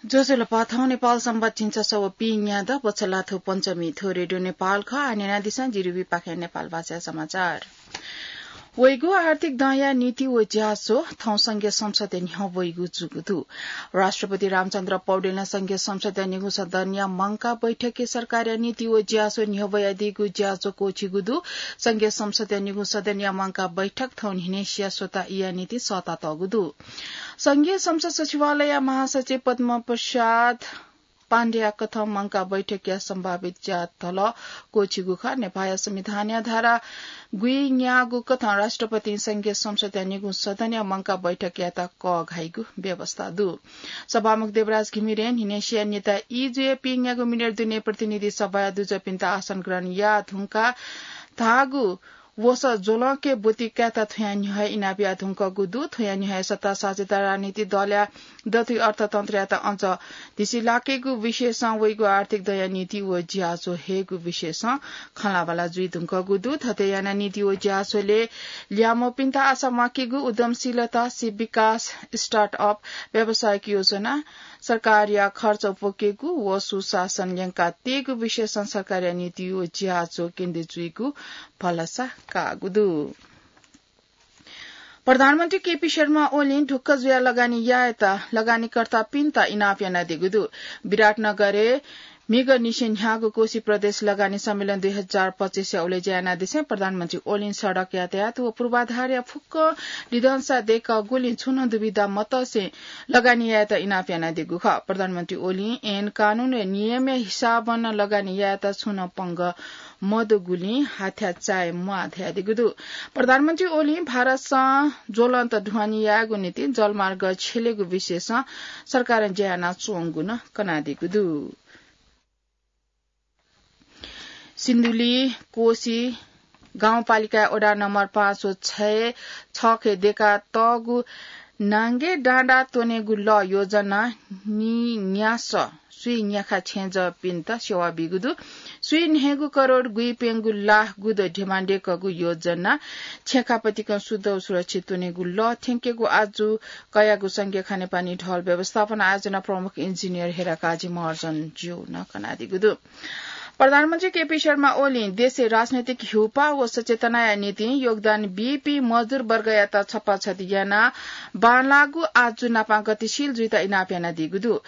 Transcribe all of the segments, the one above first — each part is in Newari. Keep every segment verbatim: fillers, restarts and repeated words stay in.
ज्वजलपा, थौं नेपाल संवत् झिंछसः व पीन्यादँ, बछलाथ्व पञ्चमी। थ्व रेडियो नेपाल खः। आः न्यनादिसँ जिरिविपाखें नेपाल भाषाया समाचार। वइगु आर्थिक दँया नीति व ज्याझ्वः थौं संघीय संसदय् न्ह्यः वइगु जूगु दु। राष्ट्रपति रामचन्द्र पौडेलं संघीय संसदया निगू सदनया मंकाः बैठकय् सरकारया नीति व ज्याझ्वः न्ह्यः वयादीगु ज्याझ्वः क्वःछिगु दु। संघीय संसदया निगू सदनया मंकाः बैठक थौं न्हिनेसिया स्वता इया निंतिं सःतातःगु दु। संघीय संसद सचिवालयया महासचिव पद्म प्रसाद पाण्डेया कथं मंकाः बैठकया सम्भावित ज्याझ्वः क्वःछिगु खः। नेपाःया संविधानया धारा गुइन्याःगु कथं राष्ट्रपतिं संघीय संसदया निगू सदनया मंकाः बैठक यायेत कःघाइगु व्यवस्था दु। सभामुख देवराज घिमिरें न्हिनेसिया न्यता ई जुयाः पीन्यागू मिनेट दुने प्रतिनिधि सभाया दुजःपिन्त आसन ग्रहण याः धुंकाः धाःगु वसः ज्वलंके ब्वति कायेत थ्वयां न्ह्यः हे इनाप याः धुंकूगु दु। थ्वयां न्ह्यः हे सत्ता साझेदार राजनीतिक दलया दथुइ अर्थतन्त्रयात अझ धिसिलाकेगु विषयसं वइगु आर्थिक दँया नीति व ज्याझ्वः हयेगु विषयसं खँल्हाबल्हा जुइ धुंकूगु दु। थथे यानाः नीति व ज्याझ्वलय् ल्याय्म्हपिन्त आशा म्वाकेगु, उद्यमशीलता, सिप विकास, स्टार्टअप, व्यावसायिक योजना, सरकारया खर्च उप्वकेगु व सुशासन ल्यंकातयेगु विषयसं सरकारया नीति व ज्याझ्वः केन्द्रित जुइगु भलसा काःगु दु। प्रधानमन्त्री केपी शर्मा ओलीं ढुक्क जुयाः लगानी यायेत लगानीकर्तापिन्त इनाप यानादीगु दु। विराटनगरय् म्हिगःनिसें न्ह्याःगु कोशी प्रदेश लगानी सम्मेलन दुई हजार पच्चिसया उलेज्या यानादिसें प्रधानमन्त्री ओलीं सडक यातायात व पूर्वाधारया फुक्क लिधंसा दय्कःगुलिं छुं नं दुविधा मतसें लगानी यायेत इनाप यानादीगु खः। प्रधानमन्त्री ओलीं ऐन कानून व नियमया हिसाबं नं लगानी यायेत छुं नं पंगः मदुगुलिं हाथ्या चाये म्वाः धयादीगु दु। प्रधानमन्त्री ओलीं भारतसं ज्वलंत ढुवानी यायेगु निंतिं जलमार्ग छ्यलेगु विषयसं सरकारं ज्या यानाच्वंगु नं कनादीगु दु। सिन्धुली कोशी गाउँपालिकाया वडा नम्बर पाँच व छय् छखे दय्कातःगु नांगे डाँडा त्वनेगु लः योजना निन्यासः स्वीन्याखा छेँजःपिन्त सेवा बीगु दु। स्वीन्हय्गू करोड गुइप्यंगू लाख गुदँ ध्यबा दय्कःगु योजना छेँखापतिकं शुद्ध व सुरक्षित त्वनेगु लः थ्यंकेगु आजु कयागु संघीय खानेपानी ढल व्यवस्थापन आयोजना प्रमुख इन्जिनियर हेराकाजी महर्जन ज्यूं नं कनादीगु दु। प्रधानमन्त्री केपी शर्मा ओलीं देशय् राजनैतिक ह्यूपाः व सचेतनाया निंतिं योगदान बीपिं मजदुर वर्गयात छपाछति यानाः बांलाःगु आजु नापं गतिशील जुइत इनाप यानादीगु दु।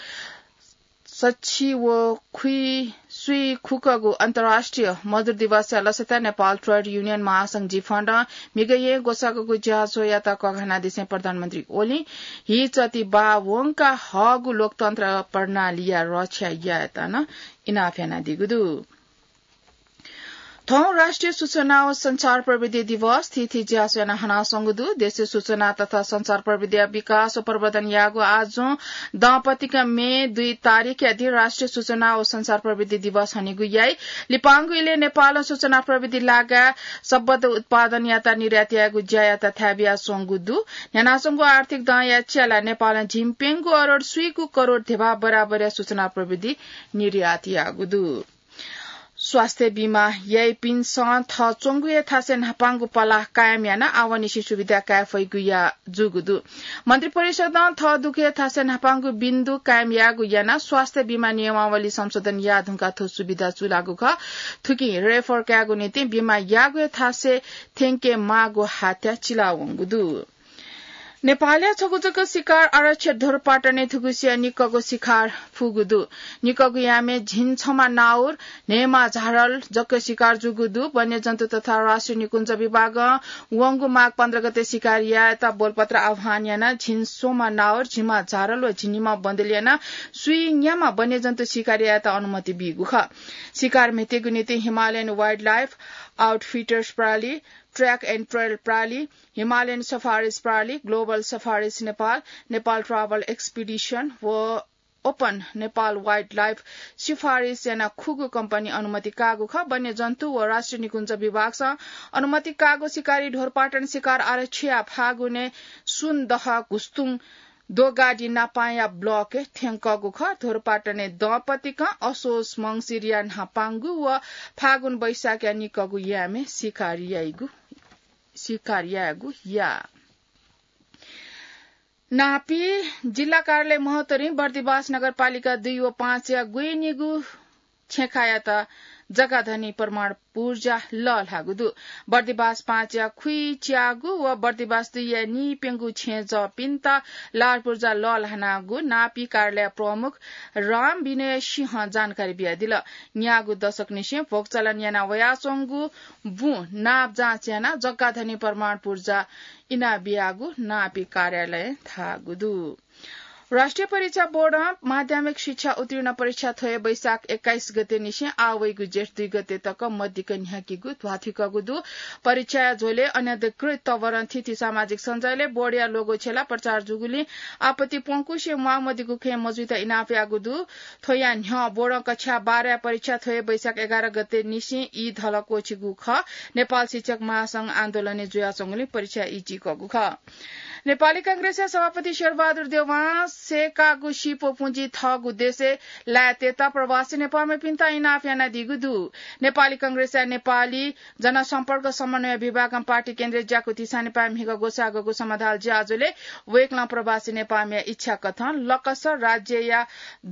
सछि व खुइ स्वीखुकःगु अन्तर्राष्ट्रिय मजदुर दिवसया लसताय् नेपाल ट्रेड युनियन महासंघ जिफँडं म्हिगःया ग्वसाःगु ज्याझ्वःयात कःघानादिसें प्रधानमन्त्री ओलीं हीचति बाः वंकाः हःगु लोकतन्त्र प्रणालीया रक्षा यायेत नं इनाप यानादीगु दु। थौं राष्ट्रिय सूचना व सञ्चार प्रविधि दिवस थीथी ज्याझ्वः यानाः हनाच्वंगु दु। देशय् सूचना तथा सञ्चार प्रविधिया विकास व प्रवर्धन याःगु आजुं दंपतिकं मे दुई तारिखया दिं राष्ट्रिय सूचना व सञ्चार प्रविधि दिवस हनेगु याइ। लिपांगु इलय् नेपालं सूचना प्रविधि लागाय् सम्बद्ध उत्पादनयात निर्यात यायेगु ज्यायात थाय् बियाच्वंगु दु। न्ह्यानाच्वंगु आर्थिक दँया च्यालाः नेपालं झिंप्यंगू अरोड स्वीगू करोड ध्यबा बराबरया सूचना प्रविधि निर्यात याःगु दु। स्वास्थ्य बीमा याइपिन्सं थः च्वंगु हे थासय् न्हापांगु पलाः कायम यानाः आवंनिसें सुविधा काये फइगु या जूगु दु। मन्त्रिपरिषदं थः दुगु हे थासय् न्हापांगु बिन्दु कायम याःगु यानाः स्वास्थ्य बीमा नियमावली संशोधन याः धुंकाः थ्व सुविधा चूलाःगु खः। थुकिं रेफर कायेगु निंतिं बीमा याःगु हे थासय् थ्यंके माःगु हात्या चिलावंगु दु। नेपालया छगू जक शिकार आरक्ष ध्वरपाटनय् थुगुसिया निक्कःगु शिकार फुगु दु। निक्कःगु यामय् झिंछम्ह नाउर, न्हय्म्ह झारल जक शिकार जूगु दु। वन्यजन्तु तथा राष्ट्रिय निकुञ्ज विभागं वंगु माघ पन्ध्र गते शिकार यायेत बोलपत्र आह्वान यानाः झिंस्वम्ह नाउर, झिम्ह झारल व झिंनिम्ह बँदेल यानाः स्वीन्याम्ह वन्यजन्तु शिकार यायेत अनुमति बीगु खः। शिकार म्हेतेगु निंतिं हिमालयन वाइल्डलाइफ आउटफिटर्स प्रणाली, ट्र्याक एन्ड ट्रेल प्रणाली, हिमालयन सफारिज प्रणाली, ग्लोबल सफारिज नेपाल, नेपाल ट्राभल एक्सपिडिसन व ओपन नेपाल वाइल्डलाइफ सिफारिस यानाः खुगू कम्पनी अनुमति काःगु खः। वन्यजन्तु व राष्ट्रिय निकुञ्ज विभागसं अनुमति काःगु शिकारी ध्वरपाटन शिकार आरक्षया फागुनय् सुनदह घुस्तुङ दोगाडी नापांया ब्लकय् थ्यंकःगु खः। ध्वरपाटनय् दंपतिकं असोज मंसिरया न्हापांगु व फागुन वैशाखया निक्कःगु यामय् शिकार याइगु, शिकार यायेगु या। नापी जिल्ला कार्यालय महोत्तरी बर्दिवास नगरपालिका दुई व पाँचया गुइनिगु छेँखायात जग्गाधनी प्रमाण पूर्जा लःल्हाःगु दु। बर्दिवास पाँचया खुइच्यागु व बर्दिवास दुईया नीप्यंगु छेँजःपिन्त लाल पूर्जा लःल्हानागु नापी कार्यालय प्रमुख राम विनय सिंहं जानकारी बियादिल। न्यागू दशकनिसें भोगचलन याना वयाच्वंगु बुँ नाप जाँच यानाः जग्गाधनी प्रमाण पूर्जा इनाबियागु नापी कार्यालयं धाःगु दु। राष्ट्रिय परीक्षा बोर्डं माध्यमिक शिक्षा उत्तीर्ण परीक्षा थ्व हे वैशाख एक्काइस गते निसें आः वइगु जेठ दुई गते तक मदिक्क न्ह्याकीगु ध्वाथुइकःगु दु। परीक्षाया झ्वलय् अनधिकृत तवरं थीथी सामाजिक सञ्जालय् बोर्डया लोगो छ्यलाः प्रचार जूगुलिं आपत्ति प्वंकुसे म्वाःमदिगु खँय् मजुइत इनाप याःगु दु। थ्वया न्ह्यः बोर्डं कक्षा बाह्रया परीक्षा थ्व हे वैशाख एघार गते निसें ई धल क्वःछिगु खः। नेपाल शिक्षक महासंघ आन्दोलनय् जुयाच्वंगुलिं परीक्षा ई चीकःगु खः। नेपाली कांग्रेसया सभापति शेरबहादुर देवां सय्कागु सिपो पुँजी थःगु देशय् लायेतयेत प्रवासी नेपाःमिपिन्त इनाप यानादीगु दु। नेपाली कांग्रेसया नेपाली जनसम्पर्क समन्वय विभागं पार्टी केन्द्रीय ज्याकुथि सानेपाय् म्हिगः ग्वसाःगु समाधाल ज्याझ्वलय् वय्कलं प्रवासी नेपाःमिया इच्छा कथं लकस राज्यया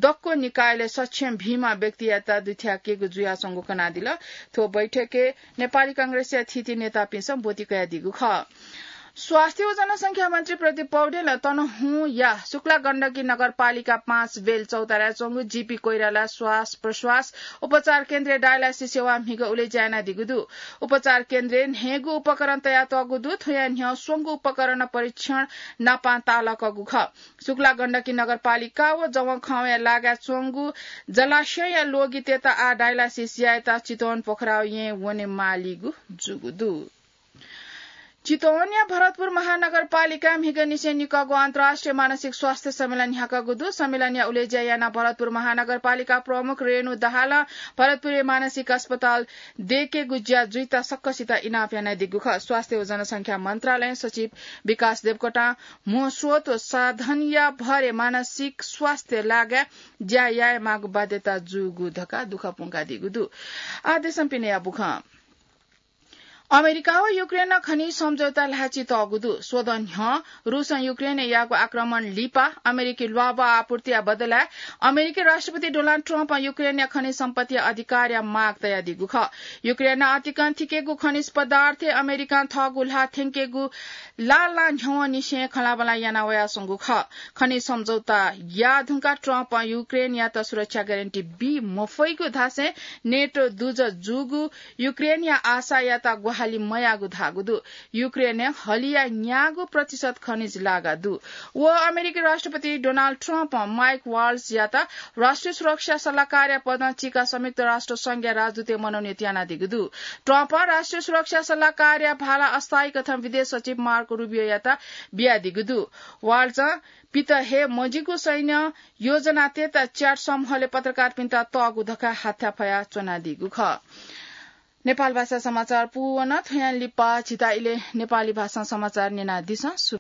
दक्व निकायलय् सक्षम भिंम्ह व्यक्तियात दुथ्याकेगु जुयाच्वंगु कनादिल। थ्व बैठकय् नेपाली कांग्रेसया थीथी नेतापिन्सं ब्वति कयादीगु खः। स्वास्थ्य व जनसंख्या मन्त्री प्रदीप पौडेलं तनहुँया शुक्ला गण्डकी नगरपालिका पाँच बेल चौताराय् च्वंगु जीपी कोइराला श्वास प्रश्वास उपचार केन्द्रय् डायलासिस सेवा म्हिगः उलेज्या यानादीगु दु। उपचार केन्द्रय् न्हय्गू उपकरण तयातःगु दु। थ्वया न्ह्यः स्वंगू उपकरण परीक्षण नापां ताःलाकःगु खः। शुक्ला गण्डकी नगरपालिका व जवंखंया लागाय् च्वंगु जलाशयया लोगितय्त आः डायलासिस यायेत चितवन पोखराउ येँ वने मालीगु जूगु दु। चितवनया भरतपुर महानगरपालिकां म्हिगःनिसें निकःगु अन्तर्राष्ट्रिय मानसिक स्वास्थ्य सम्मेलन न्ह्याकःगु दु। सम्मेलनया उलेज्या यानाः भरतपुर महानगरपालिका प्रमुख रेणु दाहालं भरतपुरय् मानसिक अस्पताल दयेकेगु ज्या जुइत सकसित इनाप यानादीगु खः। स्वास्थ्य व जनसंख्या मन्त्रालयं सचिव विकास देवकोटां म्हो स्रोत व साधनया भरय् मानसिक स्वास्थ्य लागाय् ज्या यायेमाःगु बाध्यता जूगु धकाः दुःख प्वंकादीगु दु। आः देशं पिनेया बुखँ। अमेरिका व युक्रेनं खनिज सम्झौता ल्हाःचितःगु दु। स्वदँ न्ह्यः रूसं युक्रेनय् याःगु आक्रमण लिपा अमेरिकी ल्वाभः आपूर्तिया बदलाय् अमेरिकी राष्ट्रपति डोनाल्ड ट्रम्पं युक्रेनया खनिज सम्पत्तिया अधिकारया माग तयादीगु खः। युक्रेनं अतिकं थिकेगु खनिज पदार्थय् अमेरिकां थःगु ल्हाः थ्यंकेगु लालां न्ह्यवंनिसें खँल्हाबल्हा याना वयाच्वंगु खः। खनिज सम्झौता याः धुंकाः ट्रम्पं युक्रेनयात सुरक्षा ग्यारेन्टी बी मफइगु धासें नेटो दुजः जूगु युक्रेनया आशायात ग्वाहालि मयाःगु धाःगु दु। युक्रेनय् हलिया न्यागू प्रतिशत खनिज लागा दु। व अमेरिकी राष्ट्रपति डोनाल्ड ट्रम्पं माइक वाल्सयात राष्ट्रिय सुरक्षा सल्लाहकारया पदं चीकाः संयुक्त राष्ट्र संघया राजदूतय् मनोनीत यानादीगु दु। ट्रम्पं राष्ट्रिय सुरक्षा सल्लाहकारया भाला अस्थायी कथं विदेश सचिव मार्को रुबियोयात बियादीगु दु। वाल्सं पित हे मजिगु सैन्य योजनातय्त च्याट समूहले पत्रकारपिन्त तःगु धकाः हाथ्याफया च्वनादीगु खः। नेपाल भाषा समाचार पूवन थ्वयां लिपा झीत इलय् नेपाली भाषां समाचार न्यनादिसँ।